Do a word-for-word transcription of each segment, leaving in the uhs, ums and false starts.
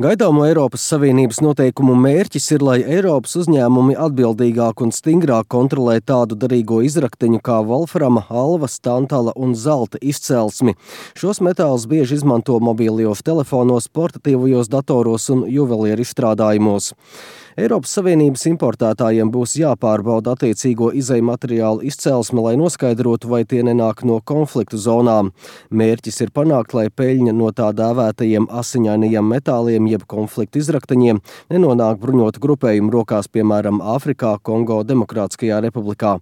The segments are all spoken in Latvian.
Gaidāmo Eiropas Savienības noteikumu mērķis ir, lai Eiropas uzņēmumi atbildīgāk un stingrāk kontrolē tādu derīgo izrakteņu kā volframa, alvas, tantala un zelta izcelsmi. Šos metālus bieži izmanto mobilajos telefonos, portatīvajos datoros un juvelieru izstrādājumos. Eiropas Savienības importētājiem būs jāpārbauda attiecīgo izejmateriālu izcelsme, lai noskaidrotu, vai tie nenāk no konfliktu zonām. Mērķis ir panākt, lai peļņa no tā dēvētajiem asiņainajiem metāliem jeb konfliktu izrakteņiem nenonāk bruņotu grupējumu rokās, piemēram, Āfrikā, Kongo Demokrātiskajā republikā.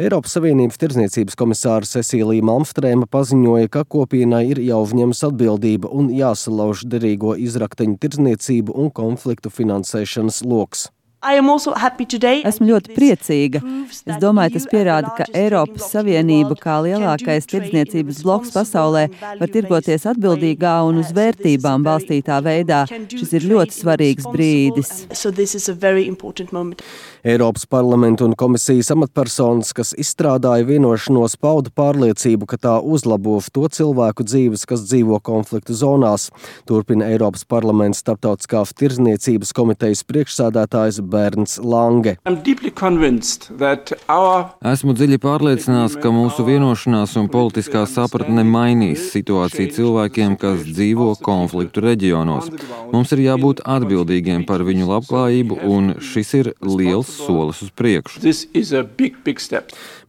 Eiropas Savienības tirdzniecības komisāra Cecīlija Malmstrēma paziņoja, ka kopienai ir jāuzņemas atbildība un jāsalauž derīgo izrakteņu tirdzniecību un konfliktu finansēšanas loks. Esmu ļoti priecīga. Es domāju, tas pierāda, ka Eiropas Savienība kā lielākais tirdzniecības bloks pasaulē var tirgoties atbildīgā un uz vērtībām balstītā veidā. Šis ir ļoti svarīgs brīdis. Eiropas parlamenta un komisijas amatpersonas, kas izstrādāja vienošanos, pauda pārliecību, ka tā uzlabos to cilvēku dzīves, kas dzīvo konfliktu zonās. Turpina Eiropas parlamenta starptautiskās tirdzniecības komitejas priekšsēdētājs Bernds Lange. Esmu dziļi pārliecināts, ka mūsu vienošanās un politiskā sapratne mainīs situāciju cilvēkiem, kas dzīvo konfliktu reģionos. Mums ir jābūt atbildīgiem par viņu labklājību, un šis ir liels solis uz priekšu. Big, big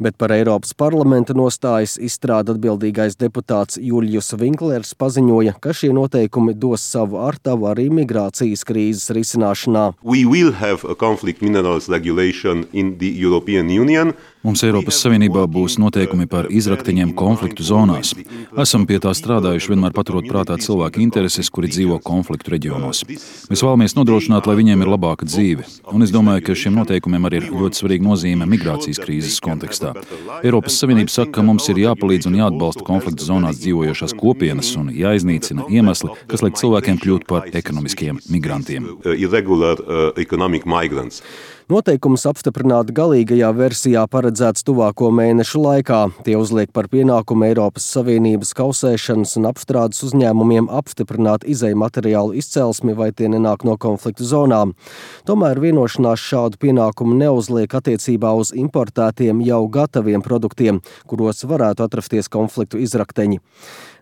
Bet par Eiropas parlamenta nostājas izstrāda atbildīgais deputāts Juljus Vinklers paziņoja, ka šie noteikumi dos savu artavu arī migrācijas krīzes risināšanā. Conflict minerals regulation in the European Union. Mums Eiropas Savienībā būs noteikumi par izrakteņiem konfliktu zonās. Esam pie tā strādājuši, vienmēr paturot prātā cilvēku intereses, kuri dzīvo konfliktu reģionos. Mēs vēlamies nodrošināt, lai viņiem ir labāka dzīve. Un es domāju, ka šiem noteikumiem arī ir ļoti svarīga nozīme migrācijas krīzes kontekstā. Eiropas Savienība saka, ka mums ir jāpalīdz un jāatbalsta konfliktu zonās dzīvojošās kopienas un jāiznīcina iemesli, kas liek cilvēkiem kļūt par ekonomiskiem migrantiem. Irregular, uh, economic migrants. Noteikums apstiprināt galīgajā versijā paredzēts tuvāko mēnešu laikā. Tie uzliek par pienākumu Eiropas Savienības kausēšanas un apstrādes uzņēmumiem apstiprināt izejmateriālu izcelsmi, vai tie nenāk no konfliktu zonām. Tomēr vienošanās šādu pienākumu neuzliek attiecībā uz importētiem jau gataviem produktiem, kuros varētu atrasties konfliktu izrakteņi.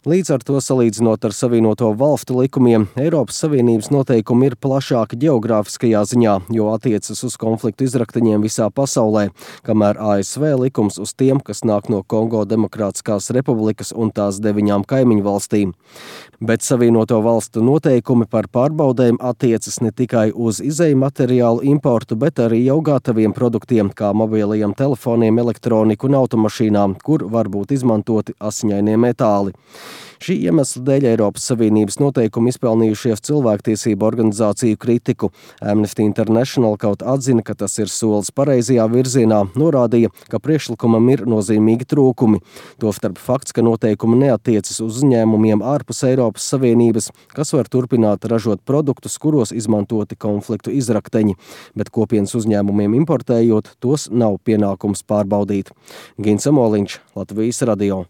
Līdz ar to, salīdzinot ar Savienoto valstu likumiem, Eiropas Savienības noteikumi ir plašāki ģeogrāfiskajā ziņā, jo attiecas uz konfliktu izrakteņiem visā pasaulē, kamēr A S V likums uz tiem, kas nāk no Kongo Demokrātiskās republikas un tās deviņām kaimiņu valstīm. Bet Savienoto valstu noteikumi par pārbaudēm attiecas ne tikai uz izejmateriālu importu, bet arī jau gataviem produktiem, kā mobilajiem telefoniem, elektroniku un automašīnām, kur var būt izmantoti asiņainie metāli. Šī iemesla dēļ Eiropas Savienības noteikumi izpelnījušies cilvēktiesību organizāciju kritiku. Amnesty International kaut atzina, ka tas ir solis pareizajā virzienā, norādīja, ka priekšlikumam ir nozīmīgi trūkumi. Tostarp fakts, ka noteikumi neatiecas uz uzņēmumiem ārpus Eiropas Savienības, kas var turpināt ražot produktus, kuros izmantoti konfliktu izrakteņi, bet kopienas uzņēmumiem importējot, tos nav pienākums pārbaudīt. Gins Amoliņš, Latvijas radio.